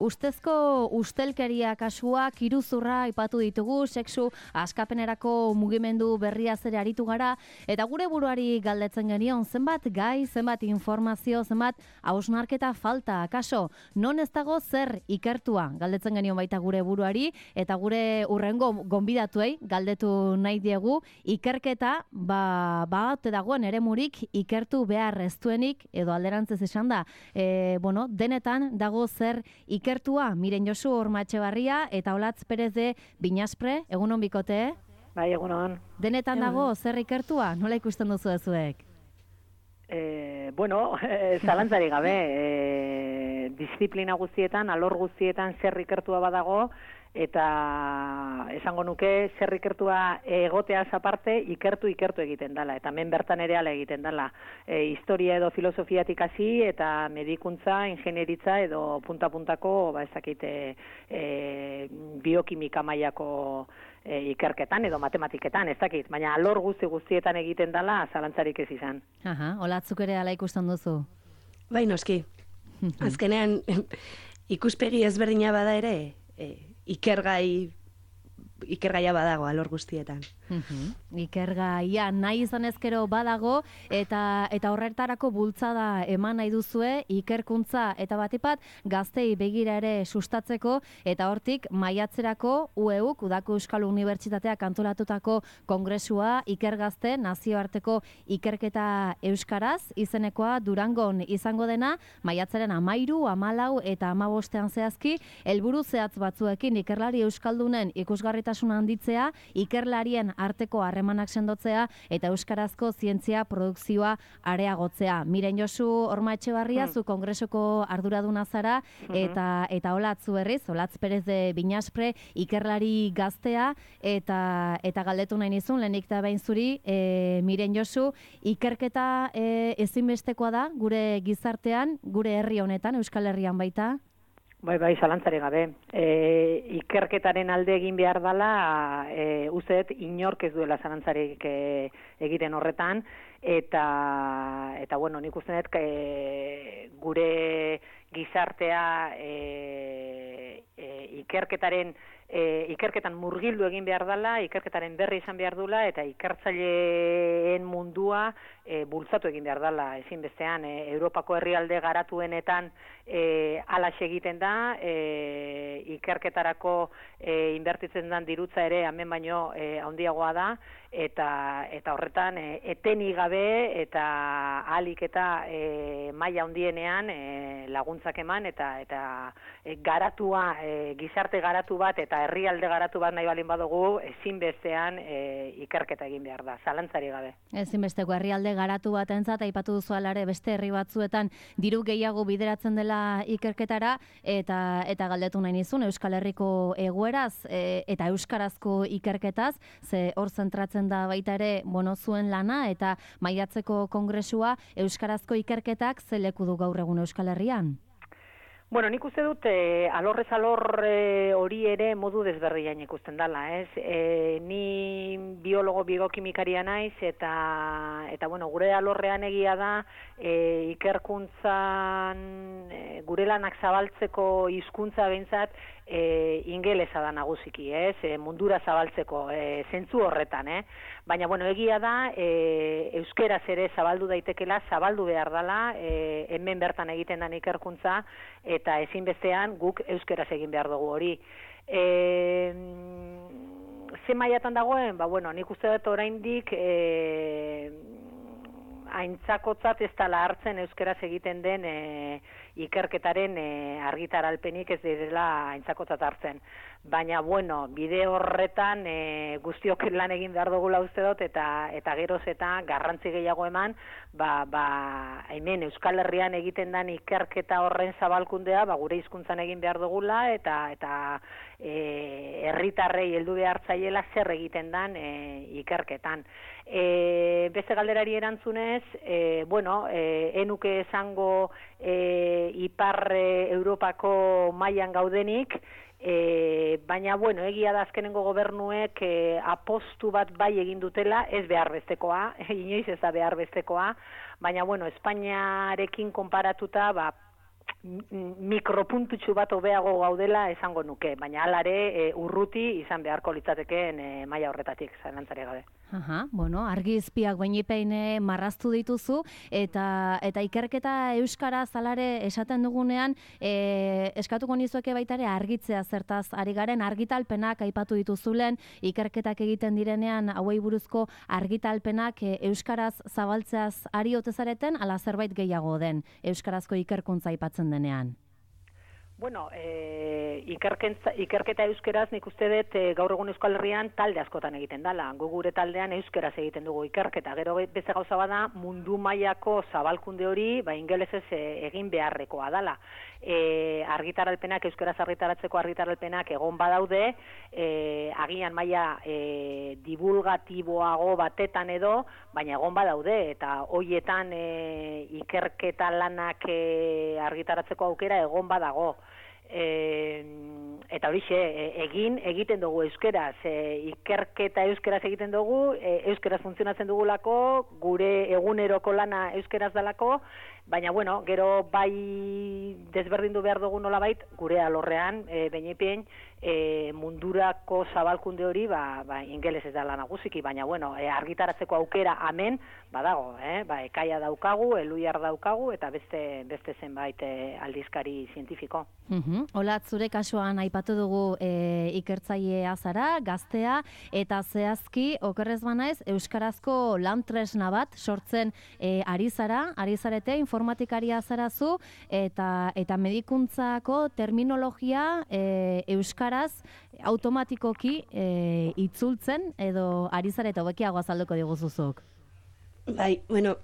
ustezko ustelkeria kasuak, iruzurra aipatu ditugu, sexu askapenerako mugimendu berria ere aritu gara, eta gure buruari galdetzen genion, zenbat gai, zenbat informazio, zenbat hausnarketa falta, akaso, non ez dago zer ikertua, galdetzen genion baita gure buruari, eta gure urrengo gonbidatuei galdetu nahi diegu, ikerketa, ote dagoen eremurik ikertu behar ez duenik, edo alderantzez esan da, denetan dago zer ikertua, Miren Josu Ormatxebarria eta Olatz Perez de Binaspre, egunon bikote? Bai, egunon. Denetan dago zer ikertua? Nola ikusten duzu ezuek? Zalantzari gabe, disiplina guztietan, alor guztietan zer ikertua badago, eta esango nuke zer ikertua egoteaz aparte ikertu egiten dela, eta hemen bertan ere ala egiten dela. Historia edo filosofiatik hasi eta medikuntza, ingenieritza edo punta-puntako, biokimika mailako ikerketan edo matematiketan, ez dakit, baina alor guztietan egiten dela zalantzarik ez izan. Olatzuk ere ala ikusten duzu? Bai, noski. Azkenean, ikuspegi ezberdina bada ere, ikergaia badago alor guztietan. Ikergaia nahi izan ezkero badago, eta horretarako bultzada eman nahi duzue, ikerkuntza eta batipat gaztei begira ere sustatzeko, eta hortik maiatzerako UEUk, Udako Euskal Unibertsitateak antolatutako kongresua, ikergazte nazioarteko ikerketa euskaraz, izenekoa Durangon izango dena, maiatzaren 13, 14 eta 15 zehazki, helburu zehatz batzuekin ikerlari euskaldunen ikusgarritasuna handitzea, ikerlarien arteko harremanak sendotzea eta euskarazko zientzia produkzioa areagotzea. Miren Josu Ormatxebarria, zu kongresuko arduraduna zara, eta Olatz berriz, Olatz Perez de Binaspre, ikerlari gaztea, eta galdetu nahi nizun, lehenik da behin zuri, Miren Josu, ikerketa ezinbestekoa da gure gizartean, gure herri honetan, Euskal Herrian baita? Bai, zalantzari gabe. Ikerketaren alde egin behar dela, usteet inork ez duela zalantzarik egiten horretan, eta nik uste dut gure gizartea ikerketan murgildu egin behar dela, ikerketaren berri izan behar dula, eta ikertzaileen mundua bultzatu egin behar dela, ezinbestean. Europako herrialde garatuenetan halaxe egiten da, ikerketarako inbertitzen den dirutza ere hemen baino handiagoa da, eta horretan etenik gabe eta ahalik eta maila handienean laguntzak eman, eta garatua, gizarte garatu bat eta herrialde garatu bat nahi balin badugu, ezinbestean ikerketa egin behar da, zalantzari gabe. Ezinbesteko herrialde garatu batentzat aipatu duzu alare beste herri batzuetan diru gehiago bideratzen dela ikerketara, eta galdetu nahi nizun Euskal Herriko egoeraz eta euskarazko ikerketaz, ze hor zentratzen da baita ere zuen lana eta maiatzeko kongresua, euskarazko ikerketak ze leku du gaur egun Euskal Herrian? Nik uste dut alorrez alor hori ere modu desberdian ikusten dela, ez? Ni biologo biokimikaria naiz, eta gure alorrean egia da ikerkuntzan gure lanak zabaltzeko hizkuntza behintzat ingelesa da nagusiki, ez? Mundura zabaltzeko, zentzu horretan, Baina, egia da, euskeraz ere zabaldu daitekela, zabaldu behar dela, hemen bertan egiten den ikerkuntza, eta ezinbestean guk euskeraz egin behar dugu hori. Ze mailatan dagoen? Nik uste dut oraindik aintzakotzat ez dela hartzen euskeraz egiten den ikerketaren argitaralpenik ez direla aintzakotzat hartzen. Baina, bide horretan guztiok lan egin behar dugula uste dut, eta geroz eta garrantzi gehiago eman, hemen Euskal Herrian egiten den ikerketa horren zabalkundea, gure hizkuntzan egin behar dugula, eta herritarrei heldu behar zaiela zer egiten den ikerketan. Beste galderari erantzunez, enuke esango Ipar Europako mailan gaudenik, baina, egia da azkenengo gobernuek apostu bat bai egin dutela, ez behar bestekoa, inoiz ez da behar bestekoa, baina, Espainiarekin konparatuta, mikropuntutxu bat hobeago gaudela esango nuke, baina alare urruti izan beharko litzatekeen maila horretatik, zalantzari gabe. Aha, bueno, argizpiak bainipein marraztu dituzu, eta ikerketa euskaraz alare esaten dugunean, eskatuko nizueke baitare argitzea zertaz ari garen argitalpenak aipatu dituzulen, ikerketak egiten direnean hauei buruzko argitalpenak euskaraz zabaltzeaz ari ote zareten, ala zerbait gehiago den euskarazko ikerkuntza aipatzen denean. Bueno, ikerketa euskeraz nik uste dut gaur egun Euskal Herrian talde askotan egiten dela. Gu gure taldean euskeraz egiten dugu ikerketa. Gero beste gauza bada mundu mailako zabalkunde hori ingelesez egin beharrekoa dela. Argitaralpenak, euskeraz argitaratzeko argitaralpenak egon badaude, agian maila divulgatiboago batetan edo, baina egon badaude, eta hoietan ikerketa lanak argitaratzeko aukera egon badago. Eta horixe, egiten dugu euskeraz, ikerketa euskeraz egiten dugu, euskeraz funtzionatzen dugulako, gure eguneroko lana euskeraz dalako, baina bueno, gero bai desberdindu behar dugu nolabait, gure alorrean, behinepien, mundurako zabalkunde hori, ingeles ez dela nagusiki, baina bueno, argitaratzeko aukera hemen badago, ekaia daukagu, eluiar daukagu, eta beste zenbait aldizkari zientifiko. Olat, zure kasuan aipatu dugu ikertzailea zara, gaztea, eta zehazki, okerrez banaiz, euskarazko lan tresna bat sortzen ari zarete, informatikaria zarazu, eta medikuntzako terminologia euskaraz automatikoki itzultzen, edo ari zarete hobekiago azalduko diguzuzuk. Bai, bueno,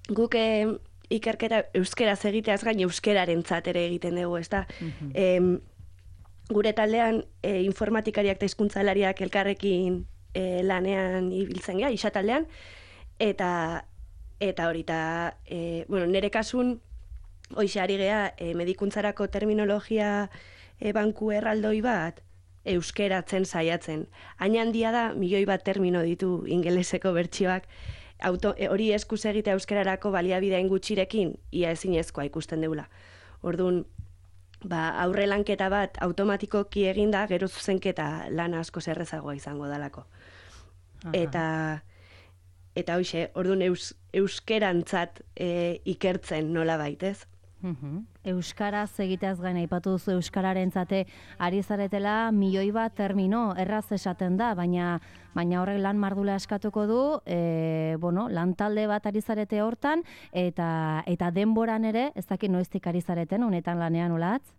guk ikerketa euskeraz egiteaz gain euskerarentzat ere egiten dugu, ezta? Gure taldean informatikariak eta hizkuntzalariak elkarrekin lanean ibiltzen gea, isa taldean, eta hori, bueno, nire kasun, hoxe ari gea, medikuntzarako terminologia banku erraldoi bat, euskeratzen saiatzen. Hain handia da, 1.000.000 bat termino ditu ingeleseko bertsioak, hori eskuz egitea euskararako baliabidean gutxirekin, ia ezinezkoa ikusten deula. Orduan, aurre lanketa bat automatikoki eginda, gero zuzenketa lana asko zerrezagoa izango dalako. Eta hoxe, orduan euskerantzat ikertzen nola baitez. Euskaraz egiteaz gain aipatu duzu euskararentzate ari zaretela 1.000.000 bat termino erraz esaten da, baina horrek lan mardula eskatuko du, lan talde bat ari zarete hortan, eta denboran ere, ez dakit noiztik ari zareten, honetan lanean Olatz?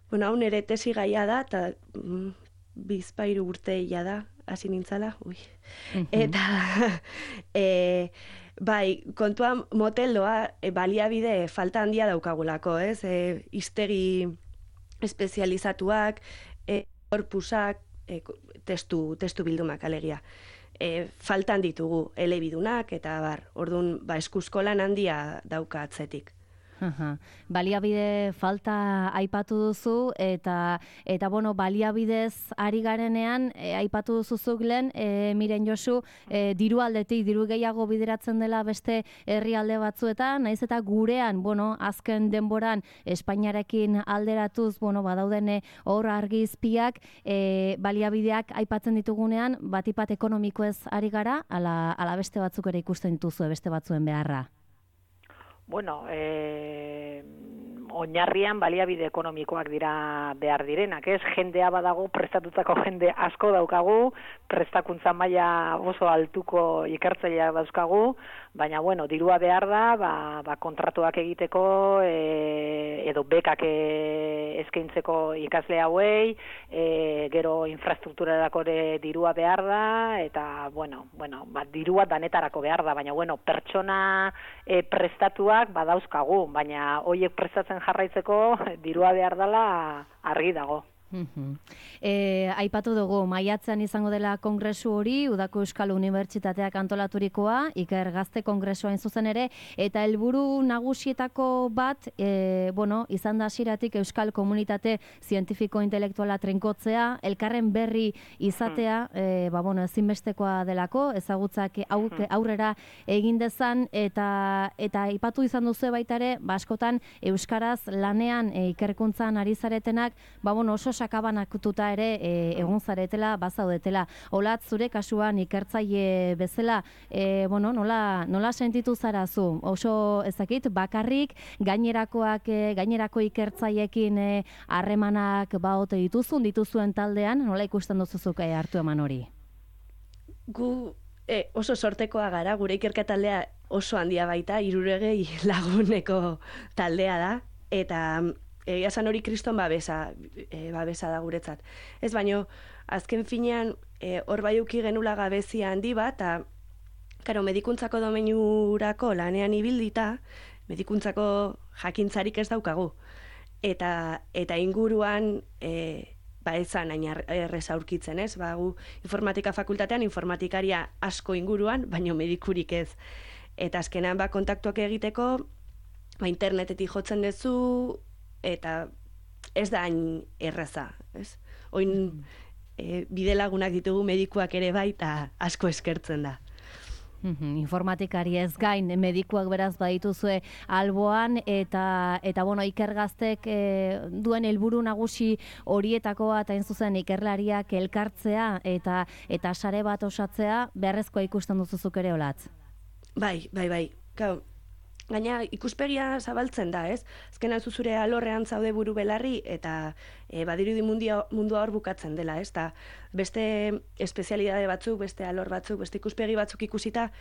Bueno, hau nire tesi gaia da, eta bizpairu urteia da, hasi nintzala, Eta, bai, kontuan moteldoa baliabide falta handia daukagulako, ez? Hiztegi espezializatuak, korpusak, testu bildumak alegia. Faltan ditugu elebidunak, eta orduan, eskuzko lan handia dauka atzetik. Baliabide falta aipatu duzu, eta baliabidez ari garenean, aipatu duzuzuk lehen, Miren Josu, diru aldetik, diru gehiago bideratzen dela beste herrialde batzuetan, naiz eta gurean, azken denboran Espainiarekin alderatuz, badauden hor argizpiak, baliabideak aipatzen ditugunean, batipat ekonomikoez ari gara, ala beste batzuk ere ikusten dituzu, beste batzuen beharra? Bueno, oinarrian baliabide ekonomikoak dira behar direnak, ez? Jendea badago, prestatutako jende asko daukagu, prestakuntza maila oso altuko ikertzailea dauzkagu, baina, dirua behar da, kontratuak egiteko, edo bekak eskaintzeko ikasle hauei, gero infrastrukturarako dirua behar da, eta, dirua danetarako behar da, baina, pertsona prestatuak badauzkagu, baina hoiek prestatzen jarraitzeko dirua behar dela argi dago. Aipatu dugu, maiatzean izango dela kongresu hori, Udako Euskal Unibertsitateak antolaturikoa, Iker Gazte kongresua hain zuzen ere, eta helburu nagusietako bat, izan da hasieratik Euskal Komunitate Zientifiko Intelektuala trinkotzea, elkarren berri izatea, ezinbestekoa delako, ezagutzak aurrera egin dezan, eta aipatu izan duzu baita ere, askotan euskaraz lanean ikerkuntzan ari zaretenak, oso sakabanatuta ere egun zaretela, bazaudetela. Olatz, zure kasuan ikertzaile bezala, nola sentitu zara zu? Oso ezakit, bakarrik gainerako ikertzaileekin harremanak baote dituzuen taldean, nola ikusten duzuzuk hartu eman hori? Gu oso sortekoa gara, gure ikerketaldea oso handia baita, 300 laguneko taldea da, eta egia esan hori kriston babesa da guretzat. Ez baino, azken finean, hor baiuki genula gabezia handi bat, eta medikuntzako domeinurako lanean ibildita, medikuntzako jakintzarik ez daukagu. Eta inguruan, ezan hain errez aurkitzen, ez? Gu informatika fakultatean informatikaria asko inguruan, baino medikurik ez. Eta azkenan kontaktuak egiteko, internetetik jotzen duzu, eta ez da hain erraza, ez? Oin bidelagunak ditugu medikuak ere bai, eta asko eskertzen da. Informatikari ez gain, medikuak beraz badituzue alboan, eta Iker Gaztek duen helburu nagusi horietako bat hain zuzen ikerlariak elkartzea eta sare bat osatzea, beharrezkoa ikusten duzuzuk ere, Olatz? Bai. Gaina ikuspegia zabaltzen da, ez? Azkenan zure alorrean zaude buru belarri eta badirudi mundua hor bukatzen dela, ez? Ta beste espezialidade batzuk, beste alor batzuk, beste ikuspegi batzuk ikusita,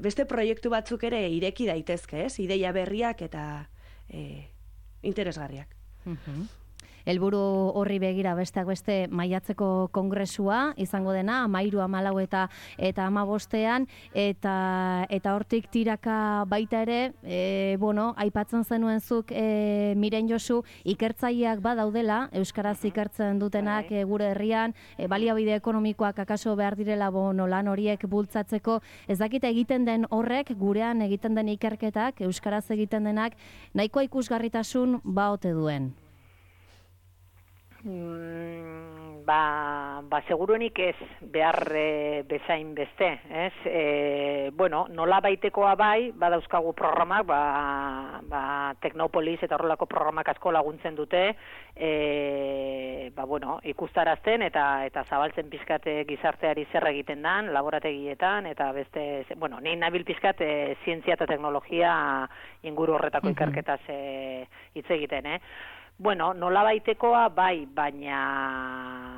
beste proiektu batzuk ere ireki daitezke, ez? Ideia berriak eta interesgarriak. Helburu horri begira besteak beste maiatzeko kongresua izango dena, 13, 14 eta 15ean, eta hortik tiraka baita ere, aipatzen zenuen zuk, Miren Josu, ikertzaileak badaudela, euskaraz ikertzen dutenak gure herrian, baliabide ekonomikoak akaso behar direla lan horiek bultzatzeko, ez dakite egiten den horrek, gurean egiten den ikerketak, euskaraz egiten denak, nahikoa ikusgarritasun baote duen. Seguruenik ez behar bezain beste, ez? Nola baitekoa bai, badauzkagu programak, Teknopolis eta horrelako programak asko laguntzen dute, ikustarazten eta zabaltzen pizkate gizarteari zer egiten dan, laborategietan, eta beste, nahi nabil pizkat zientzia eta teknologia inguru horretako ikerketaz hitz egiten, nola baitekoa bai, baina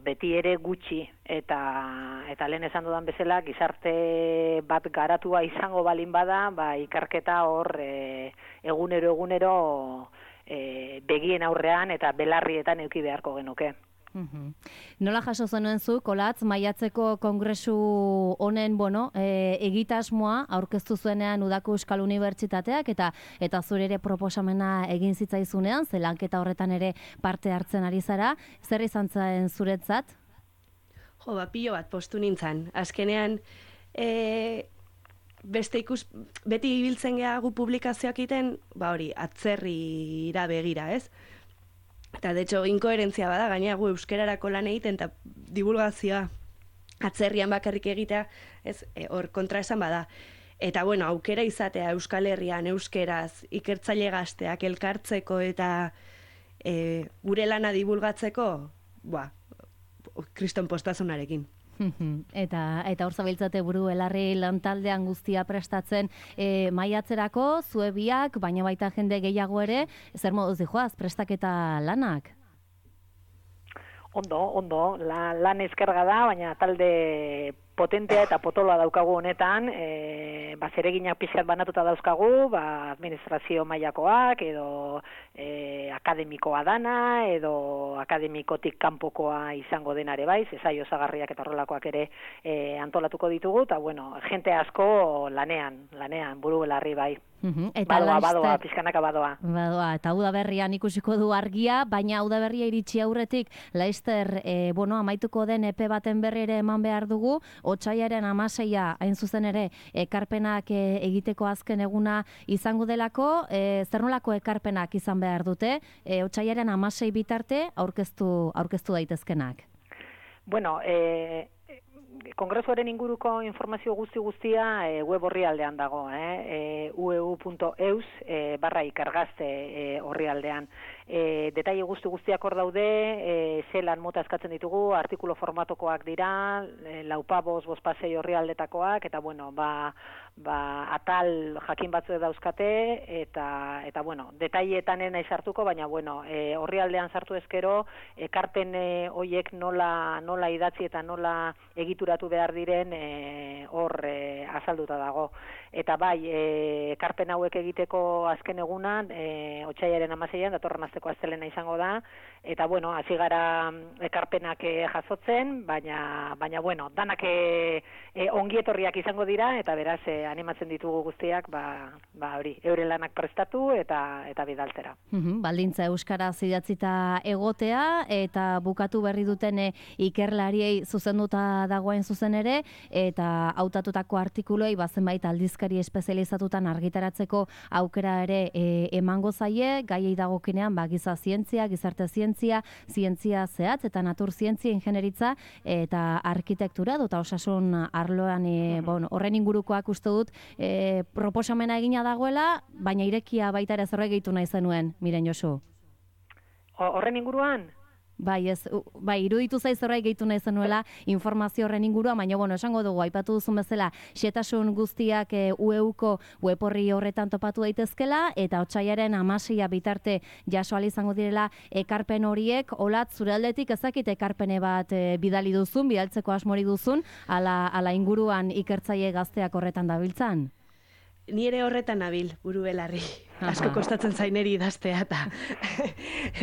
beti ere gutxi eta lehen esan dudan bezala gizarte bat garatua izango balin bada, ikerketa hor egunero begien aurrean eta belarrietan eduki beharko genuke. Nola jaso zenuen zu, Olatz, maiatzeko kongresu honen, egitasmoa aurkeztu zuenean Udako Euskal Unibertsitateak eta zure ere proposamena egin zitzaizunean, ze lanketa horretan ere parte hartzen ari zara, zer izan zen zuretzat? Pilo bat postu nintzen. Azkenean, beti ibiltzen gehagu publikazioak iten, atzerrira begira, ez? Eta, de hecho, inkoherentzia bada, gaina gu euskerarako lan egiten eta divulgazioa atzerrian bakarrik egitea, hor kontraesan bada. Eta, aukera izatea Euskal Herrian, euskeraz, ikertzaile gazteak elkartzeko eta gure lana divulgatzeko, kriston postazunarekin. Eta hor zabiltzate buru belarri lantaldean guztia prestatzen maiatzerako, zue biak, baina baita jende gehiago ere, zer moduz dijoaz, prestaketa lanak? Ondo, lan eskerga da, baina talde potentea eta potoloa daukagu honetan, zereginak pixkat banatuta dauzkagu, administrazio mailakoak edo akademikoa dana, edo akademikotik kanpokoa izango denare bai, saio osagarriak eta horrelakoak ere antolatuko ditugu, eta bueno, jente asko lanean, buru belarri bai. Eta badoa, pizkanaka badoa. Badoa, eta udaberrian ikusiko du argia, baina udaberria iritsi aurretik, Laister, amaituko den epe baten berri ere eman behar dugu, Otsaiaren 16 hain zuzen ere, ekarpenak egiteko azken eguna izango delako, zer nolako ekarpenak izan behar dute, Otsaiaren 16 bitarte aurkeztu daitezkenak? Bueno, kongresuaren inguruko informazio guztia web orrialdean dago, ueu.eus/ikergazte orrialdean. Detaile guztiak hor daude, zelan mota eskatzen ditugu, artikulu formatokoak dira, 4-5 orrialdetakoak, eta bueno, atal jakin batzuek dauzkate, eta bueno, detaileetan naiz sartuko, baina bueno, orrialdean sartu ezkero, ekarpen hoiek nola idatzi eta nola egituratu behar diren hor azalduta dago. Eta bai, ekarpen hauek egiteko azken egunan, Otsaiaren 16an, datorren asteko astelena izango da, eta bueno, hasi gara ekarpenak jasotzen, baina bueno, danak ongietorriak izango dira, eta beraz, animatzen ditugu guztiak, hori, euren lanak prestatu eta bidaltzera. Baldintza euskaraz idatzita egotea, eta bukatu berri duten ikerlariei zuzenduta dagoen zuzen ere, eta hautatutako artikuluei zenbait aldizkari espezializatutan argitaratzeko aukera ere emango zaie, gaiei dagokinean giza zientzia, gizarte zientzia, zientzia zehatz eta natur zientzia, ingenieritza eta arkitektura eta osasun arloan horren ingurukoak uste dut proposamena egina dagoela, baina irekia baita ere zerbait gehitu nahi zenuen, Miren Josu. Horren inguruan? Bai, iruditu zaiz zerbait gehitu nahi zenuela informazio horren inguruan, baina bueno, esango dugu, aipatu duzun bezala, xehetasun guztiak UEUko web orri horretan topatu daitezkela, eta Otsaiaren 16 bitarte jaso ahal izango direla ekarpen horiek. Olat, zure aldetik ezakit ekarpene bat bidaltzeko asmori duzun, ala inguruan ikertzaile gazteak horretan dabiltzan? Ni ere horretan nabil, buru belarri. Asko kostatzen zaineri idaztea eta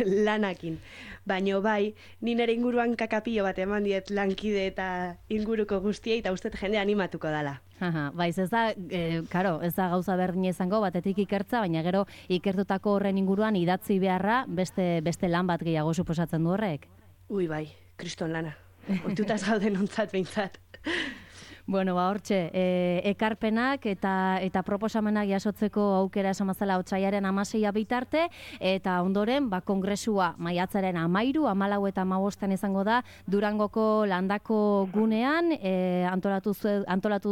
lanakin. Baina bai, ni nire inguruan kakapio bat eman diet lankide eta inguruko guztiei, eta uste jende animatuko dala. Baiz, ez da gauza berdina izango, batetik ikertza, baina gero ikertutako horren inguruan idatzi beharra beste lan bat gehiago suposatzen du horrek. Ui bai, kriston lana. Oitutaz gauden ontzat behintzat. Bueno, hortxe, ekarpenak eta proposamenak jasotzeko aukera esamazala Otsaiaren 16 bitarte, eta ondoren, kongresua maiatzaren 13, 14 eta 15 izango da, Durangoko landako gunean, antolatu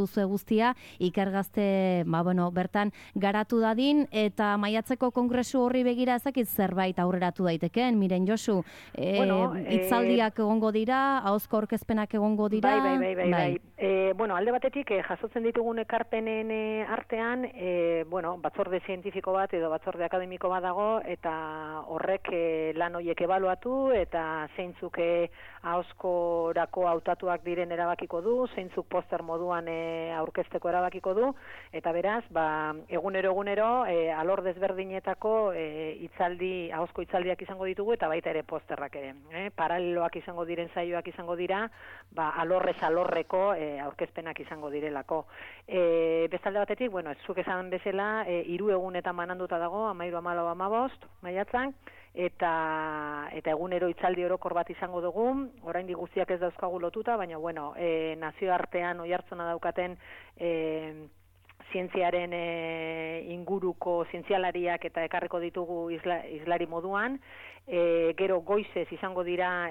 duzue guztia, ikergazte, bertan garatu dadin, eta maiatzeko kongresu horri begira ezakit zerbait aurreratu daitekeen, Miren Josu, hitzaldiak egongo dira, ahozko aurkezpenak egongo dira? Bai. Alde batetik, jasotzen ditugun ekarpenen artean, batzorde zientifiko bat edo batzorde akademiko bat dago, eta horrek lan horiek ebaluatu, eta zeintzuk ahozkorako hautatuak diren erabakiko du, zeintzuk poster moduan aurkezteko erabakiko du, eta beraz, egunero, alor desberdinetako ahozko hitzaldiak izango ditugu, eta baita ere posterrak ere. Paraleloak izango diren saioak izango dira, alorrez alorreko aurkezpenak izango direlako. Bestalde batetik, zuk esan bezala, 3 egunetan bananduta dago, 13, 14, 15, maiatzan, eta egunero hitzaldi orokor bat izango dugu, oraindik guztiak ez dauzkagu lotuta, baina nazioartean oihartzuna daukaten zientziaren inguruko zientzialariak eta ekarriko ditugu islari moduan, gero goizez izango dira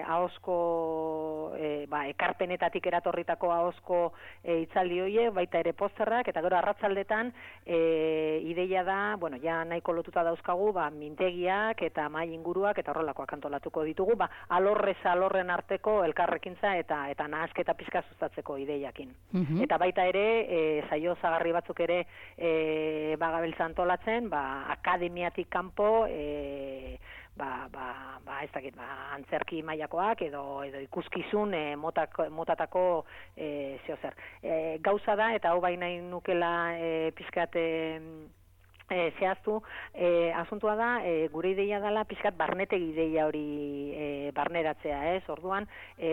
ahozko ekarpenetatik eratorritako ahozko hitzaldi horiek, baita ere posterrak, eta gero arratzaldetan ideia da, ja nahiko lotuta dauzkagu, mintegiak eta mahai inguruak eta horrelakoak antolatuko ditugu, alorrez alorren arteko elkarrekintza eta nahasketa pizka sustatzeko ideiakin. Eta baita ere, saio osagarri batzuk ere gabiltza antolatzen, akademiatik kanpo, antzerki mailakoak edo ikuskizun motatako zeozer. Gauza da, eta hau baina nukela pizkat zehaztu, asuntua da, gure ideia dela pixkat barnetegi ideia hori barneratzea, ez? Orduan,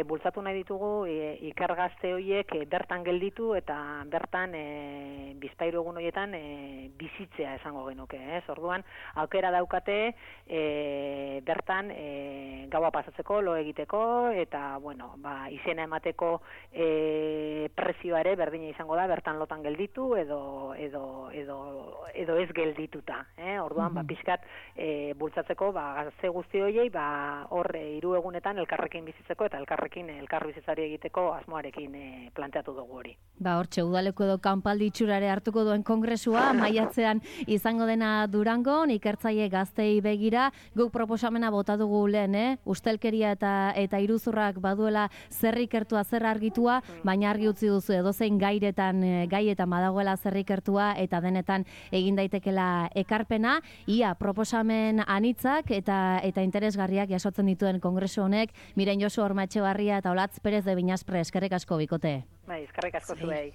bultzatu nahi ditugu ikergazte horiek bertan gelditu eta bertan bizpahiru egun horietan bizitzea esango genuke, ez? Orduan, aukera daukate bertan gaua pasatzeko, lo egiteko eta, bueno, izena emateko prezioa ere berdina izango da, bertan lotan gelditu edo ez geldituta, orduan, pixkat bultzatzeko, gazte guzti horiei, hor 3 egunetan elkarrekin bizitzeko eta elkarrekin elkarbizitzari egiteko asmoarekin planteatu dugu hori. Hortxe, udaleko edo kanpaldi itxurare hartuko duen kongresua, maiatzean izango dena Durangon, ikertzaile gaztei begira, guk proposamena bota dugu lehen, ustelkeria eta iruzurrak baduela zer ikertua, zer argitua, baina argi utzi duzu edozein gaietan badagoela zer ikertua eta denetan egin daitekela ekarpena, ia proposamen anitzak eta interesgarriak jasotzen dituen kongresu honek. Miren Josu Horma Etxebarria eta Olatz Perez de Binaspre, eskerrik asko bikote. Eskerrik asko zuei.